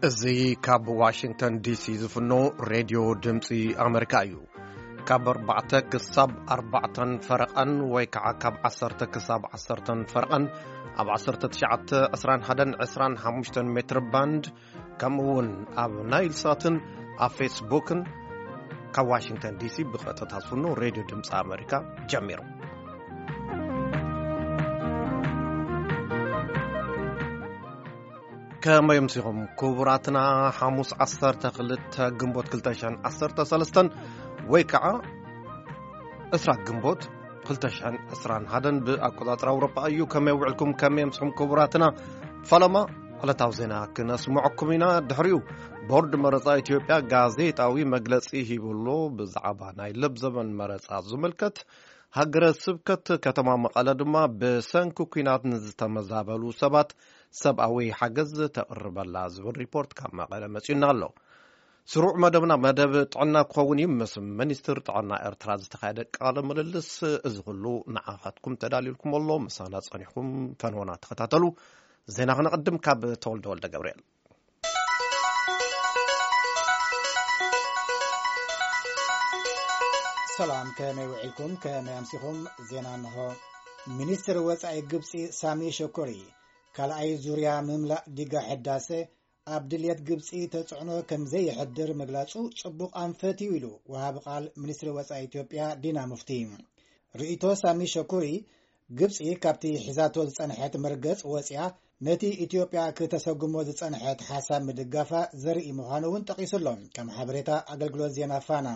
እዚ ካብ ዋሽንግተን ዲሲ ዝፍኖ ሬድዮ ድምፂ ኣመሪካ እዩ። ካብ ኣርባዕተ ክሳብ ኣርባዕተን ፈረቐን ወይ ከዓ ካብ ዓሰርተ ክሳብ ዓሰርተን ፈረቐን ኣብ ዓሰርተ ትሽዓተ፣ ዕስራን ሓደን፣ ዕስራን ሓሙሽተን ሜትር ባንድ፣ ከምኡ እውን ኣብ ናይል ሳትን ኣብ ፌስቡክን ካብ ዋሽንግተን ዲሲ ብቐጥታ ዝፍኖ ሬድዮ ድምፂ ኣመሪካ ጀሚሩ። ከመይ ኣምሲኹም ክቡራትና? ሓሙስ ዓሰርተ ክልተ ግንቦት ክልተ ሽሕን ዓሰርተ ሰለስተን ወይ ከዓ ዕስራ ግንቦት ክልተ ሽሕን ዕስራን ሓደን ብኣቆጻጽራ ኣውሮጳ እዩ። ከመይ ውዕልኩም? ከመይ ኣምስኹም ክቡራትና? ፈለማ ዕለታዊ ዜና ክነስምዐኩም ኢና። ድሕሪኡ ቦርድ መረጻ ኢትዮጵያ ጋዜጣዊ መግለጺ ሂቡ ኣሎ። ብዛዕባ ናይ ለብዘበን መረጻ ዝምልከት ሃገረ ስብከት ከተማ መቐለ ድማ ብሰንኪ ኲናት ንዝተመዛበሉ ሰባት ሰብኣዊ ሓገዝ ተቕርበላ ዝብል ሪፖርት ካብ መቐለ መጺኡና ኣሎ። ስሩዕ መደብና መደብ ጥዕና ክኸውን እዩ። ምስ ሚኒስትር ጥዕና ኤርትራ ዝተኻየደ ቃለ ምልልስ፣ እዚ ኩሉ ንዓኻትኩም ተዳልዩልኩም ኣሎ። ምሳና ጸኒሕኩም ፈንወና ተኸታተሉ። ዜና ክነቕድም ካብ ተወልደ ወልደ ገብርኤል። ሰላም፣ ከመይ ውዒልኩም? ከመይ ኣምሲኹም? ዜና እንሆ። ሚኒስትር ወጻኢ ግብጺ ሳሚ ሸኮሪ፣ ካልኣይ ዙርያ ምምላእ ዲጋ ሕዳሰ ኣብ ድልየት ግብጺ ተጽዕኖ ከም ዘየሕድር ምግላጹ ጽቡቕ ኣንፈት እዩ ኢሉ ወሃቢ ቃል ሚኒስትሪ ወጻኢ ኢትዮጵያ ዲና ሙፍቲ። ርእይቶ ሳሚ ሸኩሪ፣ ግብጺ ካብቲ ሒዛቶ ዝጸንሐት መርገጽ ወጽያ ነቲ ኢትዮጵያ ክተሰጉሞ ዝጸንሐት ሓሳብ ምድጋፋ ዘርኢ ምዃኑ እውን ጠቒሱ ኣሎ፣ ከም ሓበሬታ ኣገልግሎት ዜና ፋና።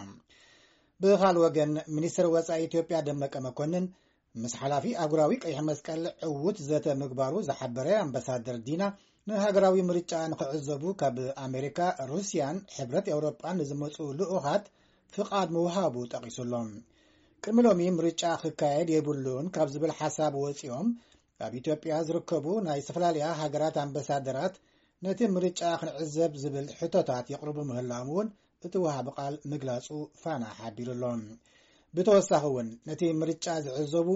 ብኻል ወገን፣ ሚኒስትር ወጻኢ ኢትዮጵያ ደመቀ መኮንን ምስ ሓላፊ ኣህጉራዊ ቀይሕ መስቀል ዕዉት ዘተ ምግባሩ ዝሓበረ ኣምባሳደር ዲና፣ ንሃገራዊ ምርጫ ንኽዕዘቡ ካብ ኣሜሪካ፣ ሩስያን ሕብረት ኤውሮጳን ንዝመጹ ልኡኻት ፍቓድ ምውሃቡ ጠቒሱ ኣሎ። ቅድሚ ሎሚ ምርጫ ክካየድ የብሉን ካብ ዝብል ሓሳብ ወጺኦም፣ ኣብ ኢትዮጵያ ዝርከቡ ናይ ዝተፈላለያ ሃገራት ኣምባሳደራት ነቲ ምርጫ ክንዕዘብ ዝብል ሕቶታት የቕርቡ ምህላዎም እውን እቲ ወሃቢ ቃል ምግላጹ ፋና ሓቢሩ ኣሎ። ብተወሳኺ እውን ነቲ ምርጫ ዝዕዘቡ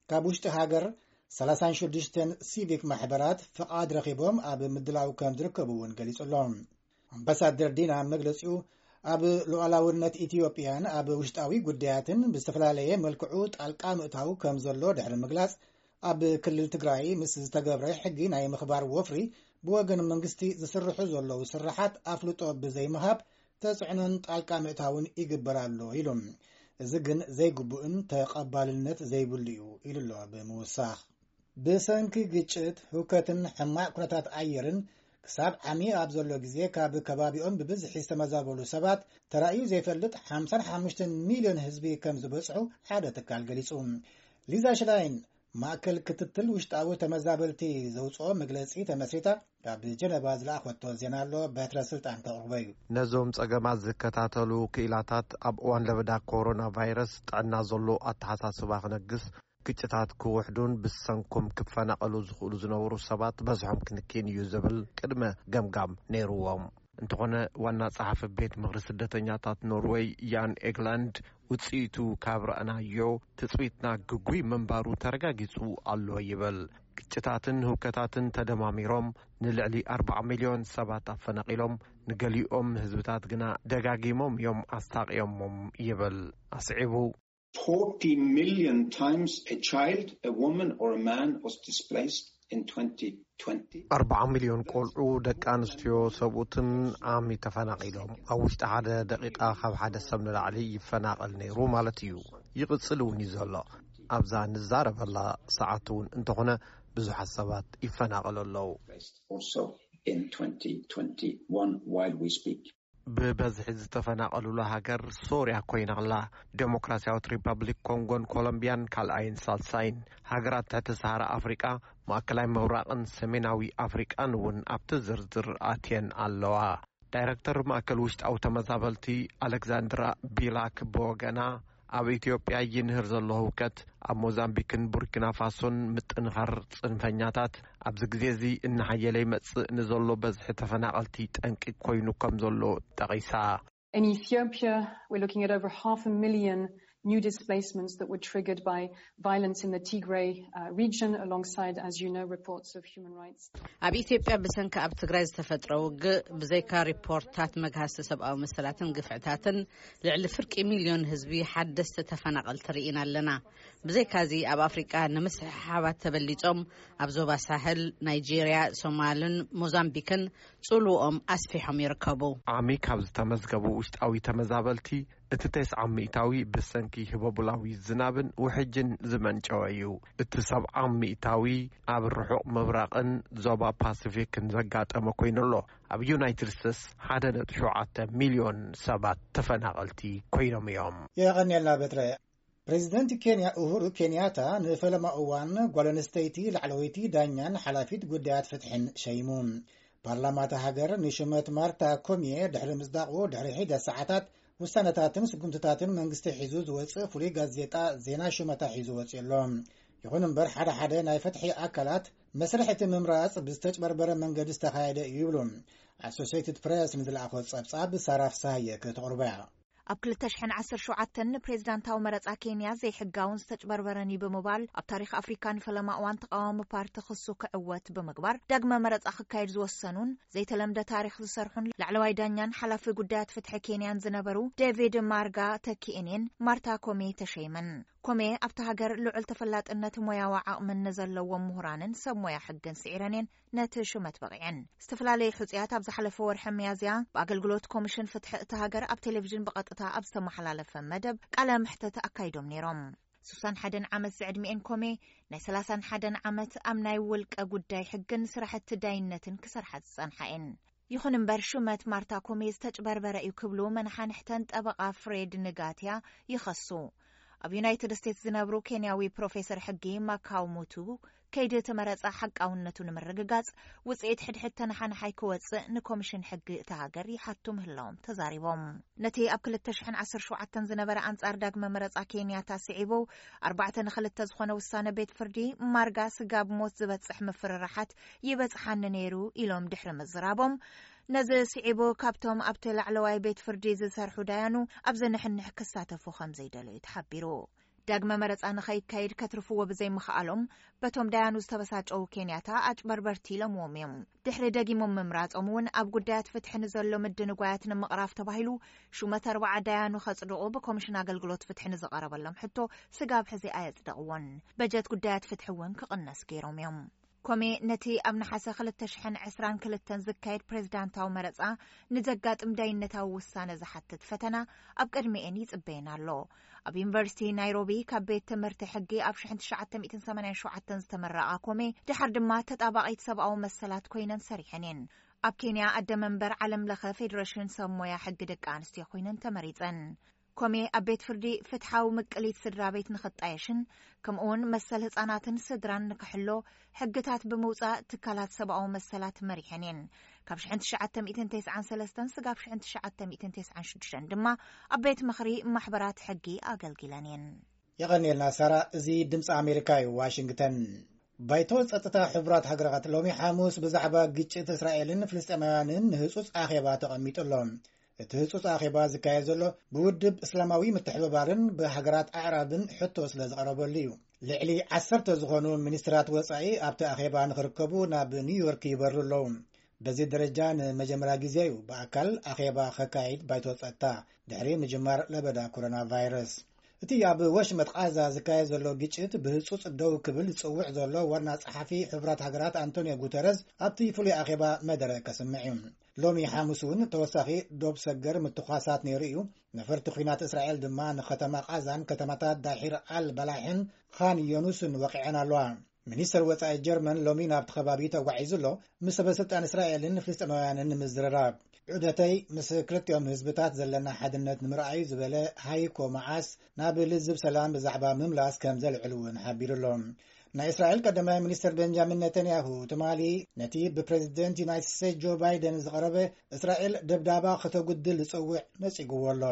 ካብ ውሽጢ ሃገር ሰላሳን ሽዱሽተን ሲቪክ ማሕበራት ፍቓድ ረኺቦም ኣብ ምድላው ከም ዝርከቡ እውን ገሊጹ ኣሎ። ኣምባሳደር ዲና ኣብ መግለጺኡ፣ ኣብ ሉዓላውነት ኢትዮጵያን ኣብ ውሽጣዊ ጉዳያትን ብዝተፈላለየ መልክዑ ጣልቃ ምእታው ከም ዘሎ ድሕሪ ምግላጽ፣ ኣብ ክልል ትግራይ ምስ ዝተገብረ ሕጊ ናይ ምኽባር ወፍሪ ብወገን መንግስቲ ዝስርሑ ዘለዉ ስራሓት ኣፍልጦ ብዘይምሃብ ተጽዕኖን ጣልቃ ምእታውን ይግበር ኣሎ ኢሉ። እዚ ግን ዘይግቡእን ተቐባልነት ዘይብሉ እዩ ኢሉ ኣሎ ብምውሳኽ። ብሰንኪ ግጭት፣ ህውከትን ሕማቕ ኩነታት ኣየርን ክሳብ ዓሚ ኣብ ዘሎ ግዜ ካብ ከባቢኦም ብብዝሒ ዝተመዛበሉ ሰባት ተራእዩ ዘይፈልጥ ሓምሳን ሓሙሽተን ሚልዮን ህዝቢ ከም ዝበጽሑ ሓደ ትካል ገሊጹ። ሊዛ ሽላይን ማእከል ክትትል ውሽጣዊ ተመዛበልቲ ዘውጽኦ መግለጺ ተመስሪታ ካብ ጀነቫ ዝለኣኸቶ ዜና ኣሎ፣ በትረ ስልጣን ከቕርቦ እዩ። ነዞም ጸገማት ዝከታተሉ ክኢላታት ኣብ እዋን ለበዳ ኮሮና ቫይረስ ጥዕና ዘሎ ኣተሓሳስባ ክነግስ፣ ግጭታት ክውሕዱን ብሰንኮም ክፈናቐሉ ዝኽእሉ ዝነበሩ ሰባት በዝሖም ክንክን እዩ ዝብል ቅድመ ገምጋም ነይርዎም። እንተኾነ ዋና ጸሓፊ ቤት ምኽሪ ስደተኛታት ኖርወይ ያን ኤግላንድ ውጽኢቱ ካብ ረኣናዮ ትጽቢትና ግጉይ ምንባሩ ተረጋጊጹ ኣሎ ይብል። ግጭታትን ህውከታትን ተደማሚሮም ንልዕሊ ኣርባዓ ሚልዮን ሰባት ኣፈናቒሎም፣ ንገሊኦም ህዝብታት ግና ደጋጊሞም እዮም ኣሳቕዮሞም ይብል ኣስዒቡ። forty million times a child, a woman or a man was displaced in twenty twenty. ኣርባዓ ሚልዮን ቆልዑ፣ ደቂ ኣንስትዮ፣ ሰብኡትን ዓሚ ተፈናቒሎም። ኣብ ውሽጢ ሓደ ደቂቃ ካብ ሓደ ሰብ ንላዕሊ ይፈናቐል ነይሩ ማለት እዩ። ይቕጽል እውን እዩ ዘሎ። ኣብዛ ንዛረበላ ሰዓት እውን እንተኾነ ብዙሓት ሰባት ይፈናቐሉ ኣለዉ። Also in twenty twenty-one while we speak. ብበዝሒ ዝተፈናቐሉላ ሃገር ሶርያ ኮይና ኣላ። ዴሞክራሲያዊት ሪፐብሊክ ኮንጎን ኮሎምቢያን ካልኣይን ሳልሳይን። ሃገራት ትሕቲ ሰሃራ ኣፍሪቃ፣ ማእከላይ ምብራቕን ሰሜናዊ ኣፍሪቃን እውን ኣብቲ ዝርዝር ኣትየን ኣለዋ። ዳይረክተር ማእከል ውሽጣዊ ተመዛበልቲ ኣሌክዛንድራ ቢላክ ብወገና፣ ኣብ ኢትዮጵያ ይንህር ዘሎ ህውከት ኣብ ሞዛምቢክን ቡርኪና ፋሶን ምጥንኻር ጽንፈኛታት ኣብዚ ግዜ እዚ እናሓየለ ይመጽእ ንዘሎ በዝሒ ተፈናቐልቲ ጠንቂ ኮይኑ ከም ዘሎ ጠቒሳ። In Ethiopia, we're looking at over half a million new displacements that were triggered by violence in the Tigray uh, region, alongside, as you know, reports of human rights. ኣብ ኢትዮጵያ ብሰንኪ ኣብ ትግራይ ዝተፈጥረ ውግእ ብዘይካ ሪፖርታት መግሃስቲ ሰብኣዊ መሰላትን ግፍዕታትን ልዕሊ ፍርቂ ሚልዮን ህዝቢ ሓደስቲ ተፈናቐልቲ ርኢና ኣለና። ብዘይካዚ ኣብ ኣፍሪቃ ንምስሕሓባት ተበሊጾም ኣብ ዞባ ሳህል፣ ናይጄርያ፣ ሶማልን ሞዛምቢክን ጽልውኦም ኣስፊሖም ይርከቡ። ዓሚ ካብ ዝተመዝገቡ ውሽጣዊ ተመዛበልቲ እቲ ተስዓ ሚእታዊ ብሰንኪ ህበቡላዊ ዝናብን ውሕጅን ዝመንጨወ እዩ። እቲ ሰብዓ ሚእታዊ ኣብ ርሑቕ ምብራቕን ዞባ ፓሲፊክን ዘጋጠመ ኮይኑ ኣሎ። ኣብ ዩናይትድ ስቴትስ ሓደ ነጥቢ ሸውዓተ ሚልዮን ሰባት ተፈናቐልቲ ኮይኖም እዮም። የቐንየልና በትረ። ፕሬዚደንት ኬንያ ኡሁሩ ኬንያታ ንፈለማ እዋን ጓል ኣንስተይቲ ላዕለወይቲ ዳኛን ሓላፊት ጉዳያት ፍትሕን ሸይሙ። ፓርላማ እታ ሃገር ንሽመት ማርታ ኮሚየ ድሕሪ ምጽዳቑ ድሕሪ ሒደት ሰዓታት ውሳነታትን ስጉምትታትን መንግስቲ ሒዙ ዝወጽእ ፍሉይ ጋዜጣ ዜና ሽመታ ሒዙ ወጺኡ ኣሎ። ይኹን እምበር ሓደ ሓደ ናይ ፍትሒ ኣካላት መስርሕ እቲ ምምራጽ ብዝተጭበርበረ መንገዲ ዝተኻየደ እዩ ይብሉ። ኣሶሴይትድ ፕሬስ ንዝለኣኾ ጸብጻብ ሳራ ፍሳሃየ ከተቕርቦ እያ። ኣብ ክልተ ሽሕን ዓሰርተ ሸውዓተን ንፕሬዝዳንታዊ መረጻ ኬንያ ዘይሕጋውን ዝተጭበርበረን እዩ ብምባል ኣብ ታሪኽ ኣፍሪካ ንፈለማ እዋን ተቃዋሚ ፓርቲ ክሱ ክዕወት ብምግባር ዳግመ መረጻ ክካየድ ዝወሰኑን ዘይተለምደ ታሪኽ ዝሰርሑን ላዕለዋይ ዳኛን ሓላፊ ጉዳያት ፍትሒ ኬንያን ዝነበሩ ዴቪድ ማርጋ ተኪኤኔን ማርታ ኮሜ ተሸይመን። ኮሜ ኣብቲ ሃገር ልዑል ተፈላጥነት ሞያዊ ዓቕምን ንዘለዎም ምሁራንን ሰብ ሞያ ሕግን ስዒረን እየን ነቲ ሹመት በቒዐን። ዝተፈላለዩ ሕጹያት ኣብ ዝሓለፈ ወርሒ ሚያዝያ ብኣገልግሎት ኮሚሽን ፍትሒ እታ ሃገር ኣብ ቴሌቪዥን ብቐጥታ ኣብ ዝተመሓላለፈ መደብ ቃለ መሕተት ኣካይዶም ነይሮም። ሱሳን ሓደን ዓመት ዝዕድሚኤን ኮሜ ናይ ሰላሳን ሓደን ዓመት ኣብ ናይ ውልቀ ጉዳይ ሕግን ስራሕቲ ዳይነትን ክሰርሓ ዝጸንሓ እየን። ይኹን እምበር ሹመት ማርታ ኮሜ ዝተጭበርበረ እዩ ክብሉ መናሓንሕተን ጠበቓ ፍሬድ ንጋትያ ይኸሱ። ኣብ ዩናይትድ ስቴትስ ዝነብሩ ኬንያዊ ፕሮፌሰር ሕጊ ማካው ሙቱ ከይዲ እቲ መረጻ ሓቃውነቱ ንምርግጋጽ ውጽኢት ሕድሕድ ተነሓንሓይ ክወጽእ ንኮሚሽን ሕጊ እታ ሃገር ይሓቱ ምህላዎም ተዛሪቦም። ነቲ ኣብ ክልተ ሽሕን ዓሰርተ ሸውዓተን ዝነበረ ኣንጻር ዳግመ መረጻ ኬንያታ ስዒቡ ኣርባዕተ ንክልተ ዝኾነ ውሳነ ቤት ፍርዲ ማርጋ ስጋብ ሞት ዝበጽሕ ምፍርራሓት ይበጽሓኒ ነይሩ ኢሎም ድሕሪ ምዝራቦም ነዚ ስዒቡ ካብቶም ኣብቲ ላዕለዋይ ቤት ፍርዲ ዝሰርሑ ዳያኑ ኣብ ዘንሕንሕ ክሳተፉ ከም ዘይደለዩ ተሓቢሩ። ዳግመ መረጻ ንኸይካየድ ከትርፍዎ ብዘይምኽኣሎም በቶም ዳያኑ ዝተበሳጨዉ ኬንያታ ኣጭበርበርቲ ኢሎምዎም እዮም። ድሕሪ ደጊሞም ምምራጾም እውን ኣብ ጉዳያት ፍትሒ ንዘሎ ምድንጓያት ንምቕራፍ ተባሂሉ ሹመት ኣርባዓ ዳያኑ ከጽድቑ ብኮሚሽን ኣገልግሎት ፍትሒ ንዝቐረበሎም ሕቶ ስጋብ ሕዚ ኣየጽደቕዎን። በጀት ጉዳያት ፍትሒ እውን ክቕነስ ገይሮም እዮም። ኮሜ ነቲ ኣብ ነሓሰ ክልተ ሽሕን ዕስራን ክልተን ዝካየድ ፕሬዝዳንታዊ መረጻ ንዘጋጥም ዳይነታዊ ውሳነ ዝሓትት ፈተና ኣብ ቅድሚኤን ይጽበየን ኣሎ። ኣብ ዩኒቨርሲቲ ናይሮቢ ካብ ቤት ትምህርቲ ሕጊ ኣብ ሽሕን ትሽዓተ ሚእትን ሰማንያን ሸውዓተን ዝተመረቓ ኮሜ ድሓር ድማ ተጣባቒት ሰብኣዊ መሰላት ኮይነን ሰሪሐን እየን። ኣብ ኬንያ ኣደ መንበር ዓለም ለኸ ፌዴሬሽን ሰብ ሞያ ሕጊ ደቂ ኣንስትዮ ኮይነን ተመሪጸን። ኮሜ ኣብ ቤት ፍርዲ ፍትሓዊ ምቅሊት ስድራ ቤት ንኽጣየሽን ከምኡውን መሰል ህጻናትን ስድራን ንክሕሎ ሕግታት ብምውጻእ ትካላት ሰብኣዊ መሰላት መሪሐን እየን። ካብ ሽሕን ትሽዓተ ሚእትን ተስዓን ሰለስተን ስጋብ ሽሕን ትሽዓተ ሚእትን ተስዓን ሽዱሽተን ድማ ኣብ ቤት ምኽሪ ማሕበራት ሕጊ ኣገልጊለን እየን። የቐንየልና ሳራ። እዚ ድምፂ ኣሜሪካ እዩ፣ ዋሽንግተን። ባይቶ ጸጥታ ሕቡራት ሃገራት ሎሚ ሓሙስ ብዛዕባ ግጭት እስራኤልን ፍልስጤማውያንን ንህጹጽ ኣኼባ ተቐሚጡ ኣሎ። እቲ ህጹጽ ኣኼባ ዝካየድ ዘሎ ብውድብ እስላማዊ ምትሕብባርን ብሃገራት ኣዕራብን ሕቶ ስለ ዝቐረበሉ እዩ። ልዕሊ ዓሰርተ ዝኾኑ ሚኒስትራት ወጻኢ ኣብቲ ኣኼባ ንኽርከቡ ናብ ኒውዮርክ ይበሩ ኣለዉ። በዚ ደረጃ ንመጀመርያ ግዜ እዩ ብኣካል ኣኼባ ከካይድ ባይቶ ጸጥታ ድሕሪ ምጅማር ለበዳ ኮሮና ቫይረስ። እቲ ኣብ ወሽመጥ ቓዛ ዝካየድ ዘሎ ግጭት ብህጹጽ ደው ክብል ዝጽውዕ ዘሎ ዋና ጸሓፊ ሕቡራት ሃገራት ኣንቶኒዮ ጉተረዝ ኣብቲ ፍሉይ ኣኼባ መደረ ከስምዕ እዩ። ሎሚ ሓሙስ እውን ተወሳኺ ዶብ ሰገር ምትኳሳት ነይሩ እዩ። ነፈርቲ ኲናት እስራኤል ድማ ንኸተማ ቓዛን ከተማታት ዳሒር ኣል ባላሕን ኻን ዮኑስን ወቒዐን ኣለዋ። ሚኒስተር ወጻኢ ጀርመን ሎሚ ናብቲ ከባቢ ተጓዒዙ ኣሎ፣ ምስ ሰበስልጣን እስራኤልን ፍልስጤማውያንን ንምዝርራብ። ዑደተይ ምስ ክልቲኦም ህዝብታት ዘለና ሓድነት ንምርኣዩ ዝበለ ሃይኮ መዓስ ናብ ልዝብ ሰላም ብዛዕባ ምምላስ ከም ዘልዕል እውን ሓቢሩ ኣሎ። ናይ እስራኤል ቀዳማይ ሚኒስትር ቤንጃሚን ኔታንያሁ ትማሊ ነቲ ብፕሬዚደንት ዩናይትድ ስቴትስ ጆ ባይደን ዝቐረበ እስራኤል ደብዳባ ከተጉድል ዝጸውዕ ነጺግዎ ኣሎ።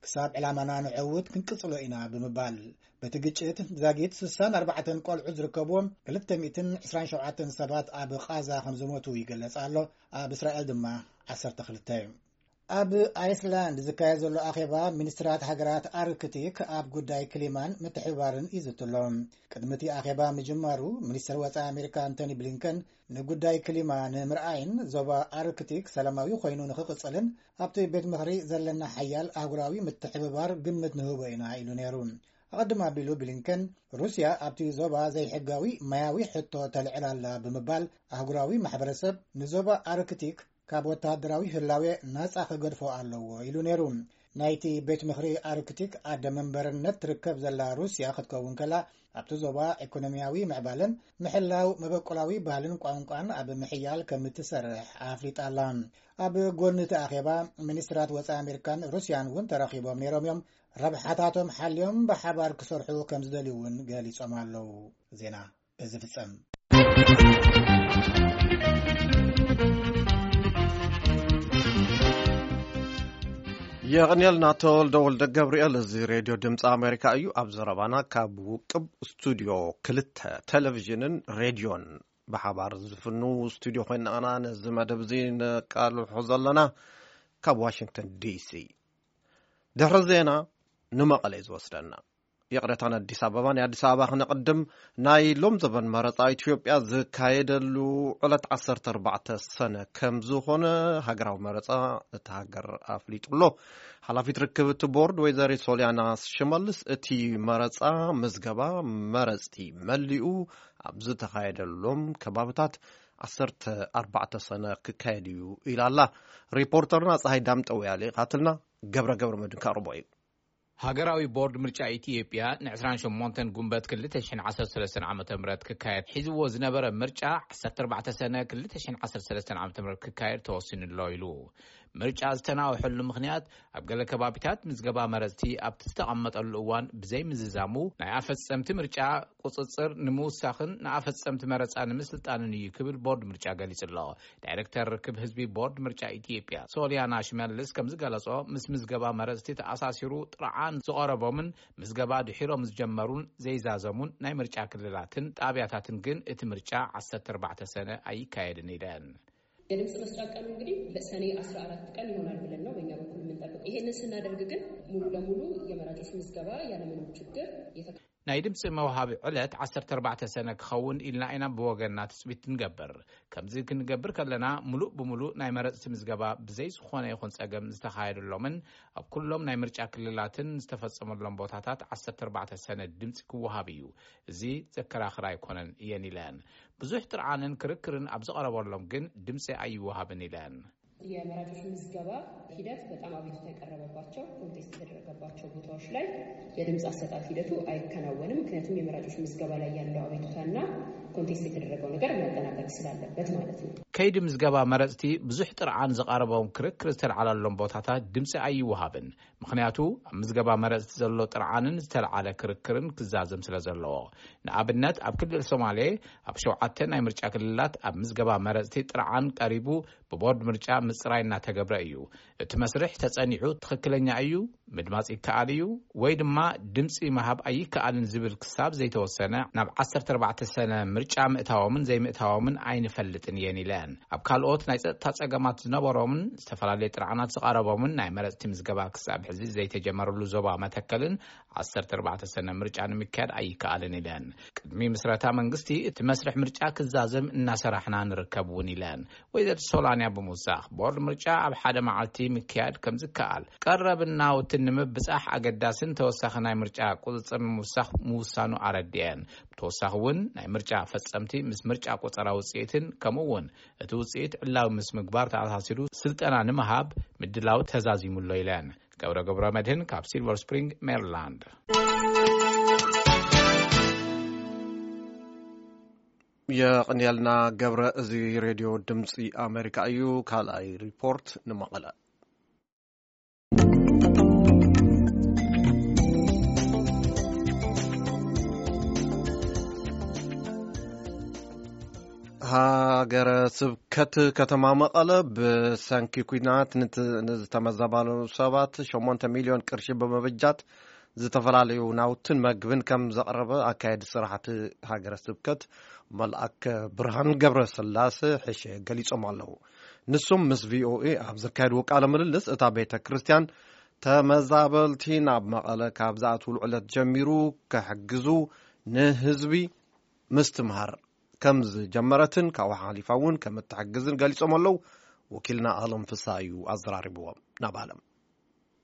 ክሳብ ዕላማና ንዕውት ክንቅጽሎ ኢና ብምባል። በቲ ግጭት ዛጊት ስሳን ኣርባዕተን ቆልዑ ዝርከብዎም ክልተ ሚእትን ዕስራን ሸውዓተን ሰባት ኣብ ቓዛ ከም ዝሞቱ ይገለጽ ኣሎ። ኣብ እስራኤል ድማ ዓሰርተ ክልተ። ኣብ ኣይስላንድ ዝካየድ ዘሎ ኣኼባ ሚኒስትራት ሃገራት ኣርክቲክ ኣብ ጉዳይ ክሊማን ምትሕብባርን ይዝቱ ኣሎ። ቅድሚ እቲ ኣኼባ ምጅማሩ፣ ሚኒስትር ወጻኢ ኣሜሪካ ኣንቶኒ ብሊንከን ንጉዳይ ክሊማ ንምርኣይን ዞባ ኣርክቲክ ሰላማዊ ኮይኑ ንኽቕጽልን ኣብቲ ቤት ምኽሪ ዘለና ሓያል ኣህጉራዊ ምትሕብባር ግምት ንህቦ ኢና ኢሉ ነይሩ። ኣቐድም ኣቢሉ ብሊንከን፣ ሩስያ ኣብቲ ዞባ ዘይሕጋዊ ማያዊ ሕቶ ተልዕል ኣላ ብምባል፣ ኣህጉራዊ ማሕበረሰብ ንዞባ ኣርክቲክ ካብ ወተሃደራዊ ህላዌ ናጻ ክገድፎ ኣለዎ ኢሉ ነይሩ። ናይቲ ቤት ምኽሪ ኣርክቲክ ኣደ መንበርነት ትርከብ ዘላ ሩስያ ክትከውን ከላ፣ ኣብቲ ዞባ ኢኮኖሚያዊ ምዕባለን ምሕላው መበቆላዊ ባህልን ቋንቋን ኣብ ምሕያል ከም እትሰርሕ ኣፍሊጣ ኣላ። ኣብ ጎኒ እቲ ኣኼባ፣ ሚኒስትራት ወጻኢ ኣሜሪካን ሩስያን እውን ተረኺቦም ነይሮም እዮም። ረብሓታቶም ሓልዮም ብሓባር ክሰርሑ ከም ዝደልዩ እውን ገሊጾም ኣለዉ። ዜና በዚ ፍጸም። የቕንየልና ተወልደ ወልደ ገብርኤል። እዚ ሬድዮ ድምፂ ኣሜሪካ እዩ። ኣብ ዘረባና ካብ ውቅብ ስቱዲዮ ክልተ ቴሌቪዥንን ሬድዮን ብሓባር ዝፍኑ ስቱዲዮ ኮይና ኢና ነዚ መደብ እዚ ነቃልሖ ዘለና ካብ ዋሽንግተን ዲሲ። ድሕሪ ዜና ንመቐለ እዩ ዝወስደና። ይቕሬታ፣ ንኣዲስ ኣበባ፣ ናይ ኣዲስ ኣበባ ክነቕድም። ናይ ሎም ዘበን መረፃ ኢትዮጵያ ዝካየደሉ ዕለት ዓሰርተ ኣርባዕተ ሰነ ከም ዝኾነ ሃገራዊ መረፃ እቲ ሃገር ኣፍሊጡ ኣሎ። ሓላፊት ርክብ እቲ ቦርድ ወይዘሪት ሶሊያና ሽመልስ፣ እቲ መረፃ ምዝገባ መረፅቲ መሊኡ ኣብ ዝተኻየደሎም ከባብታት ዓሰርተ ኣርባዕተ ሰነ ክካየድ እዩ ኢላ ኣላ። ሪፖርተርና ፀሃይ ዳምጠው እያ ልኢኻትልና። ገብረ ገብረ መድን ከቕርቦ እዩ። ሃገራዊ ቦርድ ምርጫ ኢትዮጵያ ን ዕስራን ሸሞንተን ጉንበት ክልተ ሽሕን ዓሰርተ ሰለስተን ዓመተ ምህረት ክካየድ ሒዝዎ ዝነበረ ምርጫ ዓሰርተ ኣርባዕተ ሰነ ክልተ ሽሕን ዓሰርተ ሰለስተን ዓመተ ምህረት ክካየድ ተወሲኑ ኣሎ ኢሉ። ምርጫ ዝተናውሐሉ ምኽንያት ኣብ ገለ ከባቢታት ምዝገባ መረፅቲ ኣብቲ ዝተቐመጠሉ እዋን ብዘይ ምዝዛሙ ናይ ኣፈፀምቲ ምርጫ ቁፅፅር ንምውሳኽን ንኣፈፀምቲ መረፃ ንምስልጣንን እዩ ክብል ቦርድ ምርጫ ገሊጹ ኣሎ። ዳይሬክተር ርክብ ህዝቢ ቦርድ ምርጫ ኢትዮጵያ ሶሊያና ሽመልስ ከም ዝገለጾ፣ ምስ ምዝገባ መረፅቲ ተኣሳሲሩ ጥርዓን ዝቐረቦምን ምዝገባ ድሒሮም ዝጀመሩን ዘይዛዘሙን ናይ ምርጫ ክልላትን ጣብያታትን ግን እቲ ምርጫ ዓሰርተ ኣርባዕተ ሰነ ኣይካየድን ኢለን። የድምፅ መስጫ ቀኑ እንግዲህ ለሰኔ አስራ አራት ቀን ይሆናል ብለን ነው በእኛ በኩል የምንጠብቀው። ይሄንን ስናደርግ ግን ሙሉ ለሙሉ የመራጮች ምዝገባ ያለምንም ችግር የተከ- ናይ ድምፂ መውሃቢ ዕለት ዓሰርተ ኣርባዕተ ሰነ ክኸውን ኢልና ኢና ብወገንና ትፅቢት ንገብር። ከምዚ ክንገብር ከለና፣ ሙሉእ ብሙሉእ ናይ መረፅቲ ምዝገባ ብዘይ ዝኾነ ይኹን ፀገም ዝተኻየደሎምን ኣብ ኩሎም ናይ ምርጫ ክልላትን ዝተፈፀመሎም ቦታታት ዓሰርተ ኣርባዕተ ሰነ ድምፂ ክወሃብ እዩ። እዚ ዘከራኽር ኣይኮነን እየን ኢለን። ብዙሕ ጥርዓንን ክርክርን ኣብ ዝቐረበሎም ግን ድምፂ ኣይወሃብን ኢለን። የመራጮች ምዝገባ ሂደት በጣም አቤቱታ የቀረበባቸው፣ ኮንቴስት የተደረገባቸው ቦታዎች ላይ የድምፅ አሰጣጥ ሂደቱ አይከናወንም። ምክንያቱም የመራጮች ምዝገባ ላይ ያለው አቤቱታና ኮንቴስት የተደረገው ነገር መጠናቀቅ ስላለበት ማለት ነው። ከይዲ ምዝገባ መረፅቲ ብዙሕ ጥርዓን ዝቐረቦም ክርክር ዝተልዓለሎም ቦታታት ድምፂ ኣይወሃብን። ምኽንያቱ ኣብ ምዝገባ መረፅቲ ዘሎ ጥርዓንን ዝተልዓለ ክርክርን ክዛዘም ስለ ዘለዎ። ንኣብነት ኣብ ክልል ሶማሌ ኣብ ሸውዓተ ናይ ምርጫ ክልላት ኣብ ምዝገባ መረፅቲ ጥርዓን ቀሪቡ ብቦርድ ምርጫ ምፅራይ እናተገብረ እዩ። እቲ መስርሕ ተፀኒዑ ትኽክለኛ እዩ፣ ምድማፅ ይከኣል እዩ ወይ ድማ ድምፂ ምሃብ ኣይከኣልን ዝብል ክሳብ ዘይተወሰነ ናብ ዓሰርተ ኣርባዕተ ሰነ ምርጫ ምእታዎምን ዘይምእታዎምን ኣይንፈልጥን እየን ኢለን። ኣብ ካልኦት ናይ ፀጥታ ፀገማት ዝነበሮምን ዝተፈላለየ ጥርዓናት ዝቐረቦምን ናይ መረፅቲ ምዝገባ ክሳብ ሕዚ ዘይተጀመረሉ ዞባ መተከልን ዓሰርተ ኣርባዕተ ሰነ ምርጫ ንምክያድ ኣይከኣልን ኢለን። ቅድሚ ምስረታ መንግስቲ እቲ መስርሕ ምርጫ ክዛዘም እናሰራሕና ንርከብ እውን ኢለን። ወይዘሪት ሶላንያ ብምውሳኽ፣ ቦርድ ምርጫ ኣብ ሓደ መዓልቲ ምክያድ ከም ዝከኣል፣ ቀረብን ናውትን ንምብጻሕ ኣገዳስን ተወሳኺ ናይ ምርጫ ቁጽጽር ንምውሳኽ ምውሳኑ ኣረዲአን። ብተወሳኺ እውን ናይ ምርጫ ፈጸምቲ ምስ ምርጫ ቆጸራ ውጽኢትን ከምኡ እውን እቲ ውጽኢት ዕላዊ ምስ ምግባር ተኣሳሲሩ ስልጠና ንምሃብ ምድላው ተዛዚሙ ኣሎ ኢለን። ገብረ ገብረ መድህን ካብ ሲልቨር ስፕሪንግ ሜሪላንድ። የቕንየልና ገብረ። እዚ ሬድዮ ድምፂ ኣሜሪካ እዩ። ካልኣይ ሪፖርት ንመቐለ። ሃገረ ስብከት ከተማ መቐለ ብሰንኪ ኲናት ንት-፣ ንዝተመዛበሉ ሰባት ሸሞንተ ሚልዮን ቅርሺ ብምብጃት ዝተፈላለዩ ናውትን መግብን ከም ዘቕረበ ኣካየዲ ስራሕቲ ሃገረ ስብከት መልኣከ ብርሃን ገብረ ስላሴ ሕሸ ገሊጾም ኣለዉ። ንሶም ምስ ቪኦኤ ኣብ ዘካየድዎ ቃለ ምልልስ፣ እታ ቤተ ክርስቲያን ተመዛበልቲ ናብ መቐለ ካብ ዝኣትውሉ ዕለት ጀሚሩ ክሕግዙ፣ ንህዝቢ ምስትምሃር ከም ዝጀመረትን ካብኡ ሓሊፋ እውን ከም እትሕግዝን ገሊጾም ኣለዉ። ወኪልና ኣለም ፍስሃ እዩ ኣዘራሪብዎም። ናብ ኣለም።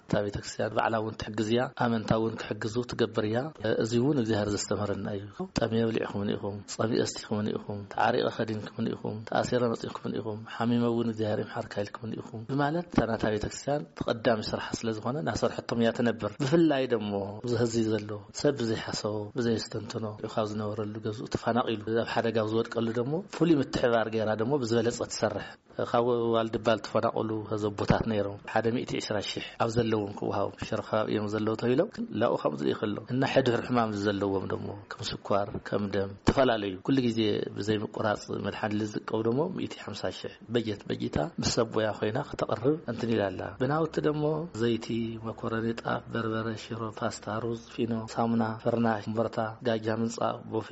እታ ቤተክርስትያን ባዕላ እውን ትሕግዝ እያ፣ ኣመንታ እውን ክሕግዙ ትገብር እያ። እዚ እውን እግዚኣብሔር ዘስተምህረና እዩ። ጠምየ ብሊዕኩምኒ ኢኹም፣ ጸሚኤ ኣስቲኹምኒ ኢኹም፣ ተዓሪቐ ከዲንኩምኒ ኢኹም፣ ተኣሲረ መጺእኩምኒ ኢኹም፣ ሓሚመ እውን እግዚኣብሔር ይምሓርካ ኢልኩምኒ ኢኹም ብማለት እታ ናታ ቤተክርስትያን ተቐዳሚ ስርሓ ስለ ዝኾነ እናሰርሐቶም እያ ትነብር። ብፍላይ ደሞ እዚ ህዚ ዘሎ ሰብ ብዘይሓሰቦ፣ ብዘየስተንትኖ ካብ ዝነበረሉ ገዝኡ ተፈናቒሉ ኣብ ሓደጋ ኣብ ዝወድቀሉ ደሞ ፍሉይ ምትሕባር ገይራ ደሞ ብዝበለጸ ትሰርሕ። ካብ ዋልድባ ዝተፈናቐሉ ዘቦታት ነይሮም። ሓደ ሚእቲ ዕስራ ሺሕ ኣብ ዘለዎም ክወሃቡ፣ ሽረ ከባቢ እዮም ዘለዉ ተባሂሎም፣ ግን ላኡ ከምኡ ዝርኢ ከሎ እና ሕድሕር ሕማም ዘለዎም ደሞ ከም ስኳር፣ ከም ደም፣ ዝተፈላለዩ ኩሉ ግዜ ብዘይ ምቁራጽ መድሓኒ ዝጥቀቡ ደሞ ሚእቲ ሓምሳ ሺሕ በጀት በጂታ ምስ ሰብ ሞያ ኮይና ከተቕርብ እንትን ኢላ ኣላ። ብናውቲ ደሞ ዘይቲ፣ መኮረኒ፣ ጣፍ፣ በርበረ፣ ሽሮ፣ ፓስታ፣ ሩዝ፣ ፊኖ፣ ሳሙና፣ ፍርናሽ፣ ኮምበርታ፣ ጋጃ፣ ምንጻፍ፣ ቦፌ፣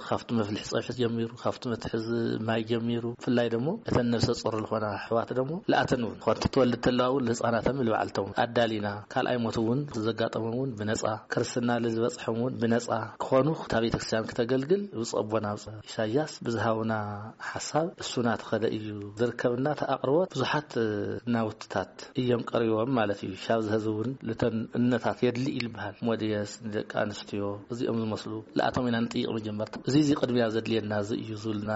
ካብቲ መፍልሒ ጸብሒ ጀሚሩ፣ ካብቲ መትሕዚ ማይ ጀሚሩ፣ ብፍላይ ደሞ እተን ነብሰ ጾር ዝኾና ኣሕዋት ደሞ ለኣተን እውን፣ ኮንቲ ትወልድ ተለዋ እውን ንህፃናቶም ንባዕልቶም ኣዳሊና፣ ካልኣይ ሞት እውን ዘጋጠሞም እውን ብነጻ፣ ክርስትና ንዝበጽሖም እውን ብነጻ ክኾኑ እታ ቤተክርስትያን ክተገልግል ብፁዕ ኣቦና ኢሳያስ ብዝሃቡና ሓሳብ እሱና ተኸደ እዩ ዝርከብና። እቲ ኣቕርቦት ብዙሓት ናውትታት እዮም ቀሪቦም ማለት እዩ። ሻብ ዝህዚ እውን ልተን እነታት የድሊ ይልበሃል። ሞድየስ ንደቂ ኣንስትዮ እዚኦም ዝመስሉ ለኣቶም ኢና ንጥይቕ መጀመርታ። እዚ እዚ ቅድሚያ ዘድልየና እዚ እዩ ዝብልና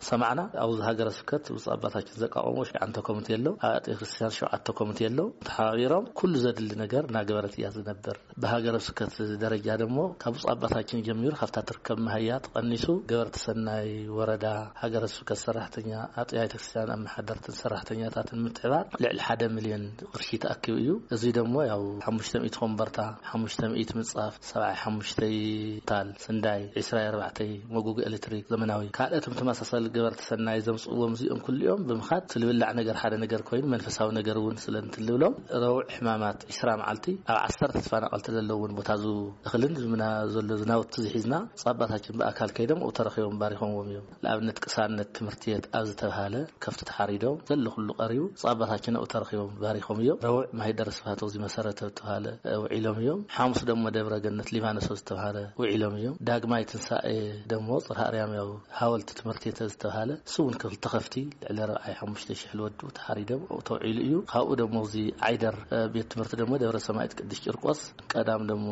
ሰማዕና። ኣብዚ ሃገረ ስብከት ብፁዕ ኣባታችን ዘቋቋሞ ሸዓንተ ኮሚቴ ኣሎ። ኣብ ኣጥቢያ ክርስቲያን ሸውዓተ ኮሚቴ ኣሎ። ተሓባቢሮም ኩሉ ዘድሊ ነገር እናገበረት እያ ዝነብር። ብሃገረ ስብከት ደረጃ ደሞ ካብ ብፁዕ ኣባታችን ጀሚሩ ካብታ ትርከብ መሃያ ተቐኒሱ ገበርቲ ሰናይ ወረዳ፣ ሃገረ ስብከት ሰራሕተኛ፣ ኣጥቢያ ቤተክርስትያን ኣመሓደርትን ሰራሕተኛታትን ምትሕባር ልዕሊ ሓደ ሚልዮን ቅርሺ ተኣኪቡ እዩ። እዚ ደሞ ያው ሓሙሽተ ሚእቲ ኮምበርታ፣ ሓሙሽተ ሚእቲ ምንጻፍ፣ ሰብዓይ ሓሙሽተ ታል ስንዳይ፣ ዕስራ ኣርባዕተ መጎጎ ኤሌክትሪክ ዘመናዊ፣ ካልኦትም ተመሳሳሊ ገበርቲ ሰናይ ዘምጽእዎም እዚኦም ኩሊኦም ብምኻድ እቲ ልብላዕ ነገር ሓደ ነገር ኮይኑ መንፈሳዊ ነገር እውን ስለ እንትልብሎም ረቡዕ ሕማማት ዕስራ መዓልቲ ኣብ ዓሰርተ ተፈናቐልቲ ዘለውን ቦታ ዙ እኽልን ዝምና ዘሎ ዝናውቲ ዝሒዝና ብፁዕ ኣባታችን ብኣካል ከይዶም ኣብኡ ተረኺቦም ባሪኾምዎም እዮም። ንኣብነት ቅሳነት ትምህርቲ ቤት ኣብ ዝተብሃለ ከፍቲ ተሓሪዶም ዘሎ ኩሉ ቀሪቡ ብፁዕ ኣባታችን ኣብኡ ተረኺቦም ባሪኾም እዮም። ረቡዕ ማሂደር ስብሃት እዚ መሰረተ ዝተብሃለ ውዒሎም እዮም። ሓሙስ ደሞ ደብረ ገነት ሊባኖስ ዝተብሃለ ውዒሎም እዮም። ዳግማይ ትንሳኤ ደሞ ጽርሃ ኣርያም ያው ሃወልቲ ትምህርቲ ቤት ዝተብሃለ እሱ እውን ክልተ ከፍቲ ልዕሊ ኣርባዓይ ሓሙሽተ ሽሕ ልወዱ ተሓሪዶም ኣብኡ ተውዒሉ እዩ። ካብኡ ደሞ እዚ ዓይደር ቤት ትምህርቲ ደሞ ደብረ ሰማይት ቅዱስ ቂርቆስ ቀዳም ደሞ